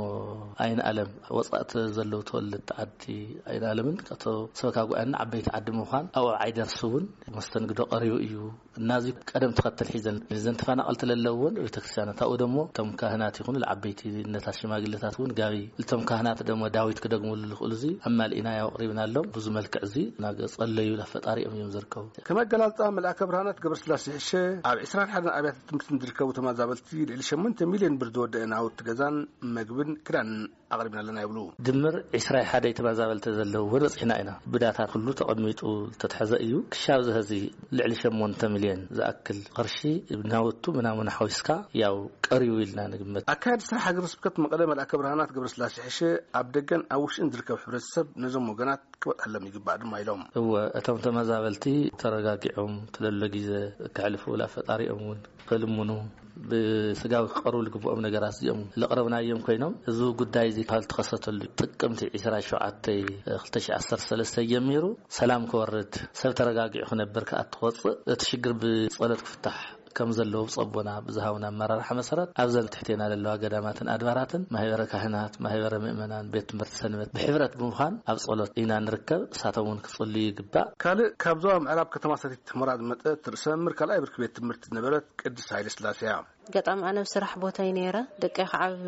ኣይን ኣለም ወጻእቲ ዘለዉ ተወለድቲ ዓዲ ኣይን ኣለምን ቀቶ ሰበካ ጉባኤና ዓበይቲ ዓዲ ምዃን ኣብኡ ዓይደርስ እውን መስተንግዶ ቀሪቡ እዩ። እና እዚ ቀደም ተኸተል ሒዘን እዘን ተፈናቐልቲ ለለውን ቤተክርስትያናት ኣብኡ ደሞ እቶም ካህናት ይኹኑ ለዓበይቲ ነታት ሽማግሌታት እውን ጋቢ እቶም ካህናት ደሞ ዳዊት ክደግምሉ ልኽእሉ እዚ ኣማልኢና ያው ኣቕሪብናሎም። ብዙ መልክዕ እዚ እናገጸለዩ ለፈጣሪኦም እዮም ዝርከቡ። ከም ኣገላልጻ መልኣከ ብርሃናት ገብረስላሴ ሕሸ ኣብ ዕስራን ሓደን ኣብያተ ትምህርቲ ዝርከቡ ተመዛበልቲ ልዕሊ ሸሞንተ ሚልዮን ብር ዝወደአ ናውቲ ገዛን መግብን ክዳንን ኣቕሪብና ኣለና ይብሉ። ድምር ዕስራ ሓደ ተመዛበልቲ ዘለውዎ በጺሕና ኢና። ብዳታ ኩሉ ተቐሚጡ ዝተትሐዘ እዩ። ክሻብ ዝሀዚ ልዕሊ ሸሞንተ ሚልዮን ዝኣክል ቅርሺ ብናውቱ ምናምን ሓዊስካ ያው ቀሪቡ ኢልና ንግመት። ኣካያዲ ስራሕ ሃገረ ስብከት መቐለ መልኣከ ብርሃናት ገብረስላሴ ሕሸ ኣብ ደገን ኣብ ውሽጥን ዝርከብ ሕብረተሰብ ነዞም ወገናት ክበጽሐሎም ይግባእ ድማ ኢሎም። እወ፣ እቶም ተመዛበልቲ ተረጋጊዖም ትለሎ ግዜ ክሕልፉ ላ ፈጣሪኦም እውን ክልምኑ ብስጋዊ ክቐርቡ ዝግብኦም ነገራት እዚኦም ለቕረብናዮም ኮይኖም፣ እዚ ጉዳይ እዚ ካብ ዝተኸሰተሉ ጥቅምቲ ዕስራ ሸውዓተ ክልተ ሺሕ ዓሰርተ ሰለስተ ጀሚሩ ሰላም ክወርድ፣ ሰብ ተረጋጊዑ ክነብር ክኣቱ ክወፅእ፣ እቲ ሽግር ብጸሎት ክፍታሕ ከም ዘለዎ ብጸቦና ብዝሃቡና ኣመራርሓ መሰረት ኣብዘን ትሕቴና ዘለዋ ገዳማትን ኣድባራትን ማህበረ ካህናት፣ ማህበረ ምእመናን፣ ቤት ትምህርቲ ሰንበት ብሕብረት ብምዃን ኣብ ጸሎት ኢና ንርከብ። እሳቶም እውን ክጽልዩ ይግባእ። ካልእ ካብ ዞባ ምዕራብ ከተማ ሰቲት ሑመራ ዝመጸት ርእሰ መምህር ካልኣይ ብርኪ ቤት ትምህርቲ ዝነበረት ቅድስት ሃይለ ስላሴ እያ። ኣጋጣሚ ኣነ ኣብ ስራሕ ቦታይ ነይረ፣ ደቀይ ከዓ ኣብ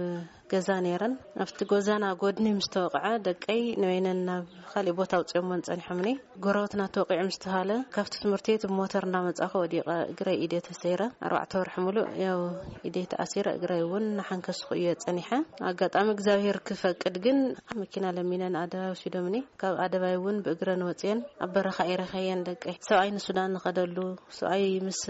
ገዛ ነይረን። ኣብቲ ጎዛና ጎድኒ ምስ ተወቕዐ ደቀይ ንበይነን ናብ ካሊእ ቦታ ኣውፅኦሞን ፀኒሖምኒ። ጎረባትና ተወቒዑ ምስ ተባሃለ ካብቲ ትምህርቲ ቤት ብሞተር እንዳመፃኹ ወዲቐ እግረይ ኢደ ተሰይረ። ኣርባዕተ ወርሒ ሙሉእ ያው ኢደይ ተኣሲረ እግረይ እውን እናሓንከስኩ እየ ፀኒሐ። ኣጋጣሚ እግዚኣብሔር ክፈቅድ ግን መኪና ለሚነን ኣደባይ ወሲዶምኒ። ካብ ኣደባይ እውን ብእግረን ወፅየን ኣብ በረኻ እየ ረኸየን ደቀይ። ሰብኣይ ንሱዳን ንኸደሉ፣ ሰብኣይ ምስ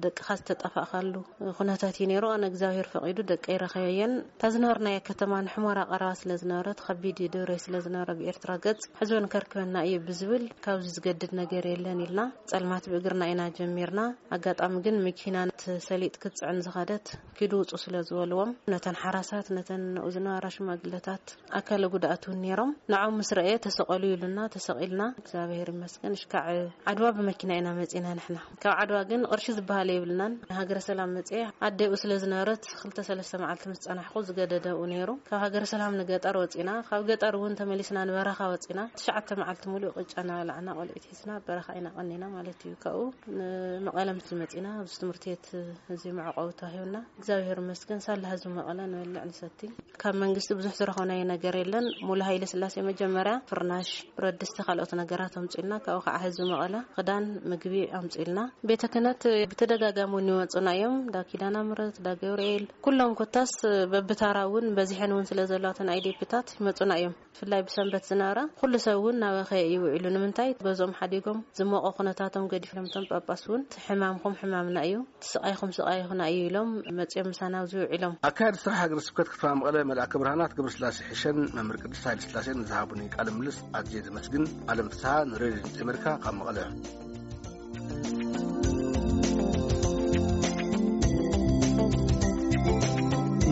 ደቅኻ ዝተጣፋእካሉ ኩነታት እቲ ነይሩ ኣነ እግዚኣብሔር ፈቒዱ ደቀይ ረኸበየን። እታ ዝነበርናዮ ከተማ ንሕሞራ ቀረባ ስለ ዝነበረት፣ ከቢድ ድብረይ ስለ ዝነበረ ብኤርትራ ገጽ ሕዝበን ከርክበና እዩ ብዝብል ካብዚ ዝገድድ ነገር የለን ኢልና ጸልማት ብእግርና ኢና ጀሚርና። ኣጋጣሚ ግን መኪና ነቲ ሰሊጥ ክትጽዕን ዝኸደት ኪዱ ውጹ ስለ ዝበልዎም፣ ነተን ሓራሳት፣ ነተን ንኡ ዝነበራ ሽማግለታት፣ ኣካለ ጉድኣት እውን ነይሮም። ንዖም ምስ ረእየ ተሰቐሉ ኢሉና፣ ተሰቒልና። እግዚኣብሔር ይመስገን። እሽካዕ ዓድዋ ብመኪና ኢና መጺና ንሕና። ካብ ዓድዋ ግን ቅርሺ ዝበሃል የብልናን። ሃገረ ሰላም መጺኤ ኣደኡ ስለ ዝነበረት ክልተ ሰለስተ መዓልቲ ምስ ጸናሕኩ ዝገደደ ኣብኡ ነይሩ። ካብ ሃገረ ሰላም ንገጠር ወጺና፣ ካብ ገጠር እውን ተመሊስና ንበረኻ ወጺና። ትሽዓተ መዓልቲ ሙሉእ ቅጫ እናበላዕና ቆልዑት ሒዝና ኣብ በረኻ ኢና ቀኒና ማለት እዩ። ካብኡ ንመቐለ ምስ መጺና ኣብዚ ትምህርቲ ቤት እዚ መዕቆቢ ተዋሂቡና። እግዚኣብሔር ይመስገን ሳላ ህዝቢ መቐለ ንበልዕ ንሰቲ። ካብ መንግስቲ ብዙሕ ዝረኸብናዮ ነገር የለን። ሙሉ ሃይለ ስላሴ መጀመርያ ፍርናሽ፣ ብረት ድስቲ፣ ካልኦት ነገራት ኣምጺልና። ካብኡ ከዓ ህዝቢ መቐለ ክዳን፣ ምግቢ ኣምጺልና። ቤተ ክህነት ብተደጋጋሚ እውን ይመጹና እዮም። ዳ ኪዳነ ምሕረት፣ ዳ ገብርኤል፣ ኩሎም ኮታስ በብታራ እውን በዚሐን እውን ስለ ዘለዋ እተን ኣይዴፒታት ይመጹና እዮም። ብፍላይ ብሰንበት ዝነበራ ኩሉ ሰብ እውን ናበኸየ እዩ ውዒሉ። ንምንታይ? ገዝኦም ሓዲጎም ዝሞቐ ኩነታቶም ገዲፎም፣ እቶም ጳጳስ እውን እቲ ሕማምኹም ሕማምና እዩ፣ እቲ ስቓይኹም ስቓይኹና እዩ ኢሎም መጺኦም ምሳና ኣብዚ ውዒሎም። ኣካያዲ ስራሕ ሃገረ ስብከት ከተማ መቐለ መልኣከ ብርሃናት ገብረስላሴ ሕሸን መምህር ቅድስት ሃይለ ስላሴን ንዝሃቡኒ ቃለ ምልልስ ኣዝየ ዘመስግን። ኣለም ፍስሃ ንሬድዮ ድምፂ ኣሜሪካ ካብ መቐለ።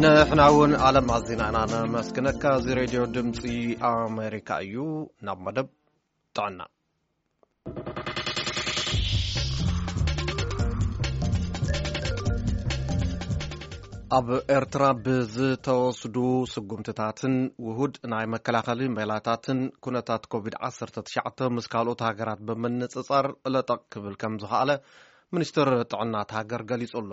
ንሕና እውን ኣለም ኣዚና ኢና ነመስግነካ። እዚ ሬድዮ ድምፂ ኣሜሪካ እዩ። ናብ መደብ ጥዕና። ኣብ ኤርትራ ብዝተወስዱ ስጉምትታትን ውሁድ ናይ መከላኸሊ ሜላታትን ኩነታት ኮቪድ ዓሰርተ ትሽዓተ ምስ ካልኦት ሃገራት ብምንጽጻር ለጠቕ ክብል ከም ዝኸኣለ ሚኒስትር ጥዕና እታ ሃገር ገሊጹ ኣሎ።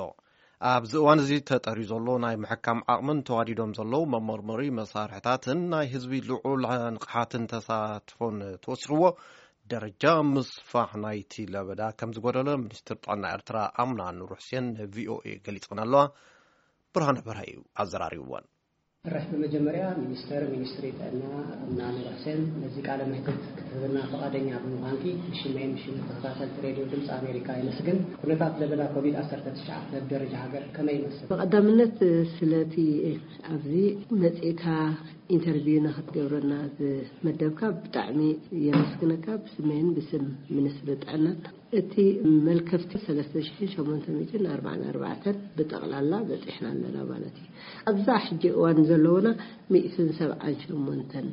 ኣብዚ እዋን እዚ ተጠርዩ ዘሎ ናይ ምሕካም ዓቕምን ተዋዲዶም ዘለዉ መመርመሪ መሳርሕታትን ናይ ህዝቢ ልዑል ንቕሓትን ተሳትፎን ተወሲኽዎ ደረጃ ምስፋሕ ናይቲ ለበዳ ከም ዝጎደለ ሚኒስትር ጥዕና ኤርትራ ኣምና ኑር ሕሴን ንቪኦኤ ገሊጸን ኣለዋ። ብርሃነ በርሀ እዩ ኣዘራሪብወን። እራሕ ብመጀመርያ ሚኒስተር ሚኒስትሪ ጥዕና ኣምና ኑር ሕሴን ነዚ ቃለ መሕትት ክትህብና ፈቓደኛ ብምዃንኪ ብሽመይን ብሽም ተኸታተልቲ ሬድዮ ድምፂ ኣሜሪካ የመስግን። ኩነታት ለበዳ ኮቪድ ዓሰርተ ትሽዓተ ኣብ ደረጃ ሃገር ከመይ ይመስል? ብቐዳምነት ስለቲ ኣብዚ መጺእካ ኢንተርቪው ንክትገብረና ዝመደብካ ብጣዕሚ የመስግነካ ብስመይን ብስም ሚኒስትሪ ጥዕናን። እቲ መልከፍቲ ሰለስተ ሽሕን ሸሞንተ ሚእትን ኣርባዓን ኣርባዕተን ብጠቕላላ በጺሕና ኣለና ማለት እዩ። ኣብዛ ሕጂ እዋን ዘለውና ሚእትን ሰብዓን ሸሞንተን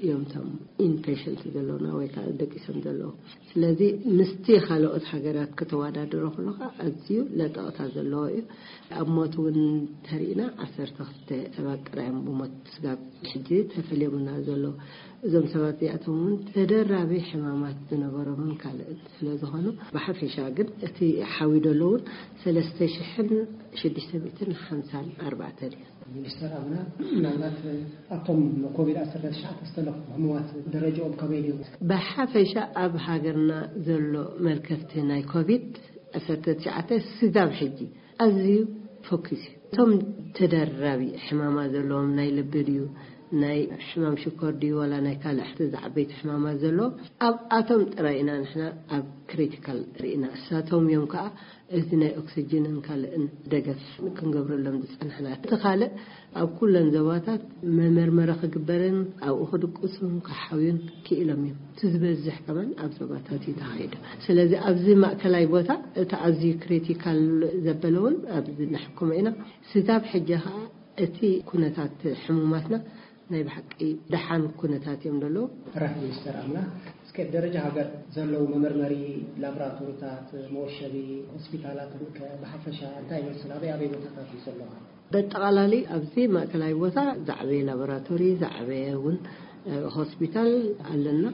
እዮም እቶም ኢንፔሸንት ዘለውና ወይ ከዓ ደቂሶም ዘለዉ። ስለዚ ምስቲ ካልኦት ሃገራት ከተወዳድሮ ከለኻ ኣዝዩ ለጠቕታ ዘለዎ እዩ። ኣብ ሞት እውን ተሪእና ዓሰርተ ክልተ ሰባት ጥራይ እዮም ብሞት ስጋብ ሕጂ ተፈልዮምና ዘለዉ። እዞም ሰባት እዚኣቶም እውን ተደራቢ ሕማማት ዝነበሮምን ካልእን ስለ ዝኾኑ ብሓፈሻ ግን እቲ ሓዊ ደሎ እውን ሰለስተ ሽሕን ሽዱሽተ ሚእትን ሓምሳን ኣርባዕተን እዩ። ሚኒስተር ኣምና፣ ምናልባት ኣብቶም ኮቪድ ዓሰርተ ትሽዓተ ዝተለኽፉ ሕሙማት ደረጃኦም ከመይ ድዩ? ብሓፈሻ ኣብ ሃገርና ዘሎ መልከፍቲ ናይ ኮቪድ ዓሰርተ ትሽዓተ ስጋብ ሕጂ ኣዝዩ ፎኪስ እዩ። እቶም ተደራቢ ሕማማ ዘለዎም ናይ ልቢ ድዩ፣ ናይ ሕማም ሽኮር ድዩ፣ ዋላ ናይ ካልእ ዝዓበይቲ ሕማማ ዘለዎም ኣብኣቶም ጥራይ ኢና ንሕና ኣብ ክሪቲካል ርኢና። እሳቶም እዮም ከዓ እዚ ናይ ኦክስጅንን ካልእን ደገፍ ክንገብረሎም ዝጸናሕና። እቲ ካልእ ኣብ ኩለን ዞባታት መመርመሪ ክግበርን ኣብኡ ክድቅሱን ክሓውዩን ክኢሎም እዮም። እቲ ዝበዝሕ ከማን ኣብ ዞባታት እዩ ተኻይዱ። ስለዚ ኣብዚ ማእከላይ ቦታ እቲ ኣዝዩ ክሪቲካል ዘበለ እውን ኣብዚ ነሕክሞ ኢና። ስጋብ ሕጂ ከዓ እቲ ኩነታት ሕሙማትና ናይ ብሓቂ ደሓን ኩነታት እዮም ዘለዉ። ራሕ ሚኒስተር ኣምና፣ እስከ ደረጃ ሃገር ዘለዉ መመርመሪ ላቦራቶሪታት፣ መወሸቢ ሆስፒታላትን ከ ብሓፈሻ እንታይ ይመስል? ኣበይ ኣበይ ቦታታት እዩ ዘለዋ? በጠቓላሊ ኣብዚ ማእከላይ ቦታ ዝዓበየ ላቦራቶሪ፣ ዝዓበየ እውን እ፣ ሆስፒታል ኣለና።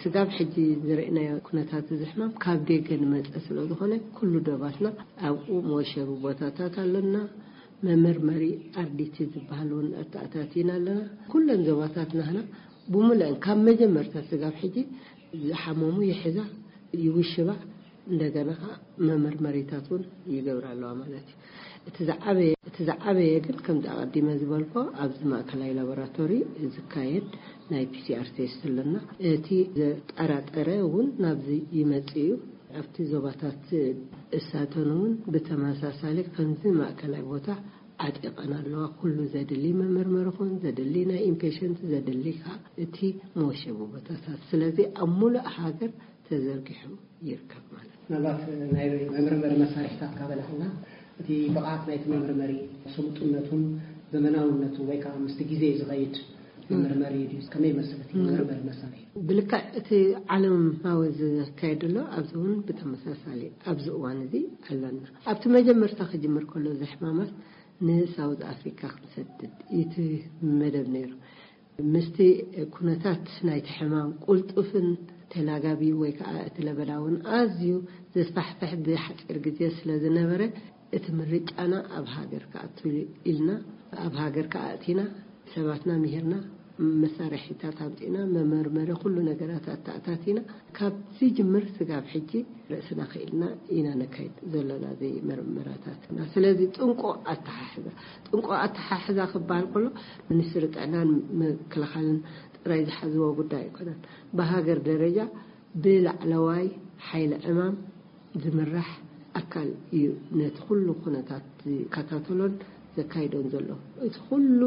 ስጋብ ሕጂ ዝረእናዮ ኩነታት እዚ ሕማም ካብ ደገ ንመጸ ስለ ዝኾነ ኩሉ ደባትና ኣብኡ መወሸቢ ቦታታት ኣለና። መመርመሪ ኣርዲቲ ዝበሃል እውን ኣተኣታቲና ኣለና። ኩለን ዞባታት ናህና ብምልአን ካብ መጀመርታ ስጋብ ሕጂ ዝሓመሙ ይሕዛ፣ ይውሽባ፣ እንደገና ከዓ መመርመሪታት እውን ይገብራ ኣለዋ ማለት እዩ። እቲ ዝዓበየ፣ እቲ ዝዓበየ ግን ከምዚ ኣቐዲመ ዝበልኮ ኣብዚ ማእከላይ ላቦራቶሪ ዝካየድ ናይ ፒሲኣር ቴስት ኣለና። እቲ ዘጠራጠረ እውን ናብዚ ይመጽእ እዩ። ኣብቲ ዞባታት እሳተን እውን ብተመሳሳሊ ከምዚ ማእከላይ ቦታ ዓጢቐን ኣለዋ። ኩሉ ዘድሊ መመርመሪ ኹን ዘድሊ ናይ ኢምፔሽንት ዘድሊ ከዓ እቲ መወሸቢ ቦታታት። ስለዚ ኣብ ሙሉእ ሃገር ተዘርጊሑ ይርከብ ማለት እዩ። ምናልባት ናይ መመርመሪ መሳርሒታት ካበላኽና እቲ ብቕዓት ናይቲ መመርመሪ ስልጡነቱን ዘመናውነቱ ወይ ከዓ ምስቲ ግዜ ዝኸይድ መመርመሪ ድዩ? ከመይ ይመስል እቲ መመርመሪ መሳርሒ? ብልክዕ እቲ ዓለማዊ ዝካየድ ዘሎ ኣብዚ እውን ብተመሳሳሊ ኣብዚ እዋን እዚ ኣለና። ኣብቲ መጀመርታ ክጅምር ከሎ እዚ ሕማማት ንሳውዝ ኣፍሪካ ክንሰድድ እቲ መደብ ነይሩ። ምስቲ ኩነታት ናይቲ ሕማም ቁልጡፍን ተላጋቢ ወይ ከዓ እቲ ለበዳ እውን ኣዝዩ ዘስፋሕፍሕ ብሓፂር ግዜ ስለ ዝነበረ እቲ ምርጫና ኣብ ሃገር ክኣቱ ኢልና ኣብ ሃገር ክኣቲና ሰባትና ምሂርና መሳርሒታት ኣምፂና መመርመሪ ኩሉ ነገራት ኣተኣታቲና ካብ ዝጅምር ስጋብ ሕጂ ርእስና ክኢልና ኢና ነካይድ ዘለና እዚ መርመራታት። ስለዚ ጥንቁቕ ኣተሓሕዛ ጥንቁቕ ኣተሓሕዛ ክበሃል ከሎ ሚኒስትሪ ጥዕናን ምክልኻልን ጥራይ ዝሓዝዎ ጉዳይ ኣይኮነን። ብሃገር ደረጃ ብላዕለዋይ ሓይሊ ዕማም ዝምራሕ ኣካል እዩ ነቲ ኩሉ ኩነታት ዝከታተሎን ዘካይዶን ዘሎ። እቲ ኩሉ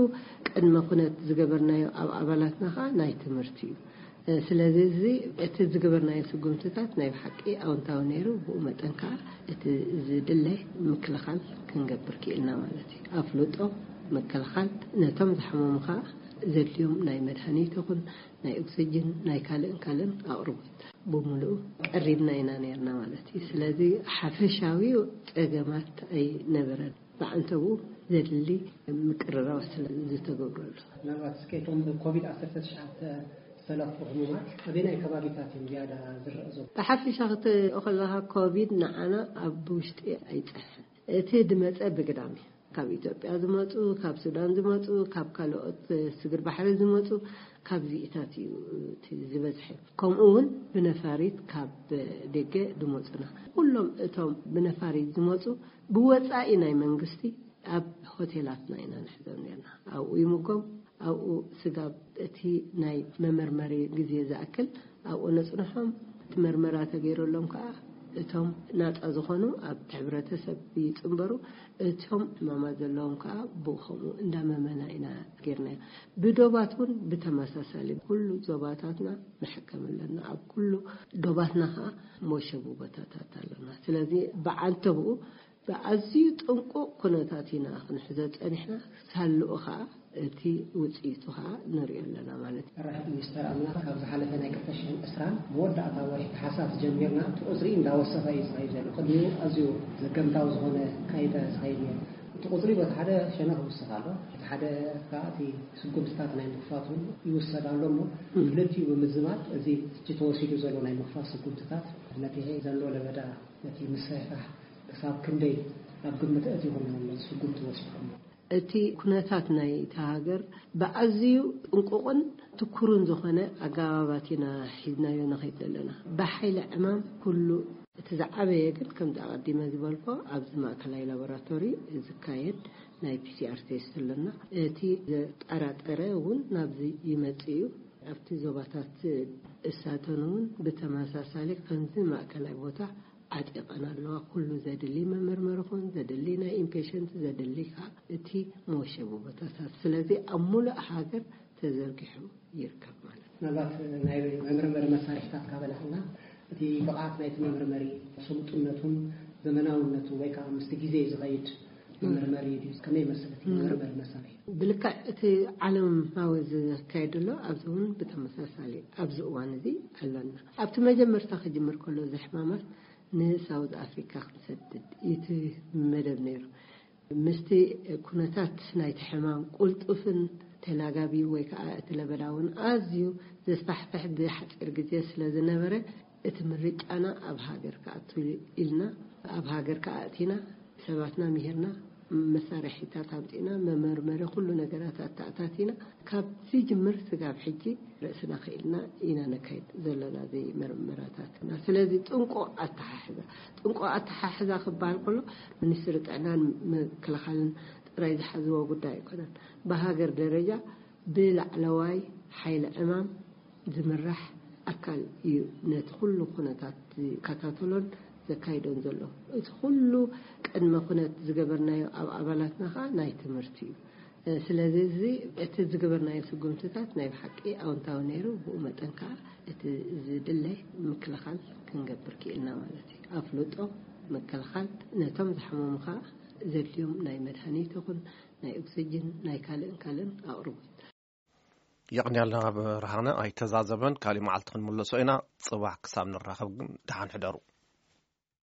ቅድመ ኩነት ዝገበርናዮ ኣብ ኣባላትና ከዓ ናይ ትምህርቲ እዩ። ስለዚ እዚ እቲ ዝገበርናዮ ስጉምትታት ናይ ብሓቂ ኣውንታዊ ነይሩ። ብኡ መጠን ከዓ እቲ ዝድለ ምክልኻል ክንገብር ክኢልና ማለት እዩ። ኣፍልጦ ምክልኻል ነቶም ዝሓመሙ ከዓ ዘድልዮም ናይ መድሃኒት ይኹን ናይ ኦክሲጅን ናይ ካልእን ካልእን ኣቕርቦት ብምሉኡ ቀሪብና ኢና ነርና ማለት እዩ። ስለዚ ሓፈሻዊ ፀገማት ኣይነበረን። ብዓንተቡ ዘድሊ ምቅርራብ ስለ ዝተገብረሉ። ምናልባት እስከ እቶም ብኮቪድ ዓሰርተ ትሽዓተ ዝተለኽፉ ህሙማት ኣበየናይ ከባቢታት እዮም ዝያዳ ዝረአ ዘሎ? ብሓፈሻ ክትሪኦ ከለካ ኮቪድ ንዓና ኣብ ውሽጢ ኣይፀንሐን። እቲ ድመፀ ብግዳም እዩ። ካብ ኢትዮጵያ ዝመፁ፣ ካብ ሱዳን ዝመፁ፣ ካብ ካልኦት ስግር ባሕሪ ዝመፁ፣ ካብዚኢታት እዩ እቲ ዝበዝሐ። ከምኡ እውን ብነፋሪት ካብ ደገ ዝመፁና ኩሎም እቶም ብነፋሪት ዝመፁ ብወፃኢ ናይ መንግስቲ ኣብ ሆቴላትና ኢና ንሕዞም ነርና። ኣብኡ ይምጎም፣ ኣብኡ ስጋብ እቲ ናይ መመርመሪ ግዜ ዝኣክል ኣብኡ ነፅንሖም። እቲ መርመራ ተገይረሎም ከዓ እቶም ናፃ ዝኾኑ ኣብ ሕብረተሰብ ይፅንበሩ፣ እቶም ሕማማት ዘለዎም ከዓ ብኡ ከምኡ እንዳመመና ኢና ጌርናዮ። ብዶባት እውን ብተመሳሳሊ ኩሉ ዞባታትና ንሕከም ኣለና። ኣብ ኩሉ ዶባትና ከዓ መሸቡ ቦታታት ኣለና። ስለዚ ብዓንተብኡ ብኣዝዩ ጥንቁቕ ኩነታት ኢና ክንሕዞ ጸኒሕና፣ ሳልኡ ኸኣ እቲ ውጽኢቱ ኸኣ ንሪኦ ኣለና ማለት እዩ። መራሒት ሚኒስተር ኣምላኽ ካብ ዝሓለፈ ናይ ክልተ ሽሕን ዕስራን መወዳእታ ወርሒ ታሕሳስ ጀሚርና እቲ ቁጽሪ እንዳወሰኸ እዩ ዝኸይድ ዘሎ። ቅድሚኡ ኣዝዩ ዘገምታዊ ዝኾነ ካይዳ እዩ ዝኸይድ ነይሩ። እቲ ቁጽሪ በቲ ሓደ ሸነኽ ይውስኽ ኣሎ፣ በቲ ሓደ ከኣ እቲ ስጉምትታት ናይ ምኽፋት እውን ይውሰድ ኣሎ እሞ፣ ክልቲኡ ብምዝማድ እዚ ሕጂ ተወሲዱ ዘሎ ናይ ምኽፋት ስጉምትታት ነቲ ዘሎ ለበዳ ነቲ ምስሕሓሕ ክሳብ ክንደይ ኣብ ግምት ኣእቲኹም ኢኹም ነዚ ስጉምቲ ወሲድኩሞ? እቲ ኩነታት ናይታ ሃገር ብኣዝዩ ጥንቁቕን ትኩርን ዝኾነ ኣገባባት ኢና ሒዝናዮ ንኸይድ ዘለና። ብሓይሊ ዕማም ኩሉ እቲ ዝዓበየ ግን ከምቲ ኣቐዲመ ዝበልኮ ኣብዚ ማእከላይ ላቦራቶሪ ዝካየድ ናይ ፒሲኣር ቴስት ኣለና። እቲ ዘጠራጠረ እውን ናብዚ ይመጽእ እዩ። ኣብቲ ዞባታት እሳተን እውን ብተመሳሳሊ ከምዚ ማእከላይ ቦታ ዓጢቐን ኣለዋ። ኩሉ ዘድሊ መመርመሪ ኹን ዘድሊ ናይ ኢምፔሸንት ዘድሊ ከዓ እቲ መወሸቢ ቦታታት። ስለዚ ኣብ ሙሉእ ሃገር ተዘርጊሑ ይርከብ ማለት እዩ። ምናልባት ናይ መመርመሪ መሳርሒታት ካበላኽና እቲ ብቕዓት ናይቲ መመርመሪ ስልጡነቱን ዘመናውነቱ ወይ ከዓ ምስቲ ግዜ ዝኸይድ መመርመሪ ድዩ? ከመይ ይመስል እቲ መመርመሪ መሳርሒ? ብልክዕ እቲ ዓለማዊ ዝካየድ ዘሎ ኣብዚ እውን ብተመሳሳሊ ኣብዚ እዋን እዚ ኣለና። ኣብቲ መጀመርታ ክጅምር ከሎ እዚ ሕማማት ንሳውዝ ኣፍሪካ ክንሰድድ እቲ መደብ ነይሩ። ምስቲ ኩነታት ናይቲ ሕማም ቁልጡፍን ተላጋቢ ወይ ከዓ እቲ ለበዳ እውን ኣዝዩ ዘስፋሕፍሕ ብሓፂር ግዜ ስለ ዝነበረ እቲ ምርጫና ኣብ ሃገር ክኣቱ ኢልና ኣብ ሃገር ክኣእቲና ሰባትና ምሂርና መሳርሒታት ኣምፂና መመርመሪ ኩሉ ነገራት ኣተኣታቲና ካብ ዝጅምር ስጋብ ሕጂ ርእስና ክኢልና ኢና ነካይድ ዘለና እዚ መርመራታትና። ስለዚ ጥንቁቕ ኣተሓሕዛ ጥንቁቕ ኣተሓሕዛ ክበሃል ከሎ ሚኒስትሪ ጥዕናን ምክልኻልን ጥራይ ዝሓዝዎ ጉዳይ ኣይኮነን። ብሃገር ደረጃ ብላዕለዋይ ሓይሊ ዕማም ዝምራሕ ኣካል እዩ ነቲ ኩሉ ኩነታት ዝከታተሎን ዘካይዶን ዘሎ። እቲ ኩሉ ቅድመ ኩነት ዝገበርናዮ ኣብ ኣባላትና ከዓ ናይ ትምህርቲ እዩ። ስለዚ እዚ እቲ ዝገበርናዮ ስጉምትታት ናይ ብሓቂ ኣወንታዊ ነይሩ። ብኡ መጠን ከዓ እቲ ዝድለ ምክልኻል ክንገብር ክኢልና ማለት እዩ። ኣፍልጦ፣ ምክልኻል፣ ነቶም ዝሓመሙ ከዓ ዘድልዮም ናይ መድሃኒት ይኹን ናይ ኦክሲጅን ናይ ካልእን ካልእን ኣቕርቦት። የቕንያልና ብርሃነ ኣይተዛዘበን። ካሊእ መዓልቲ ክንምለሶ ኢና። ፅባሕ ክሳብ ንራኸብ ግን ደሓን ሕደሩ።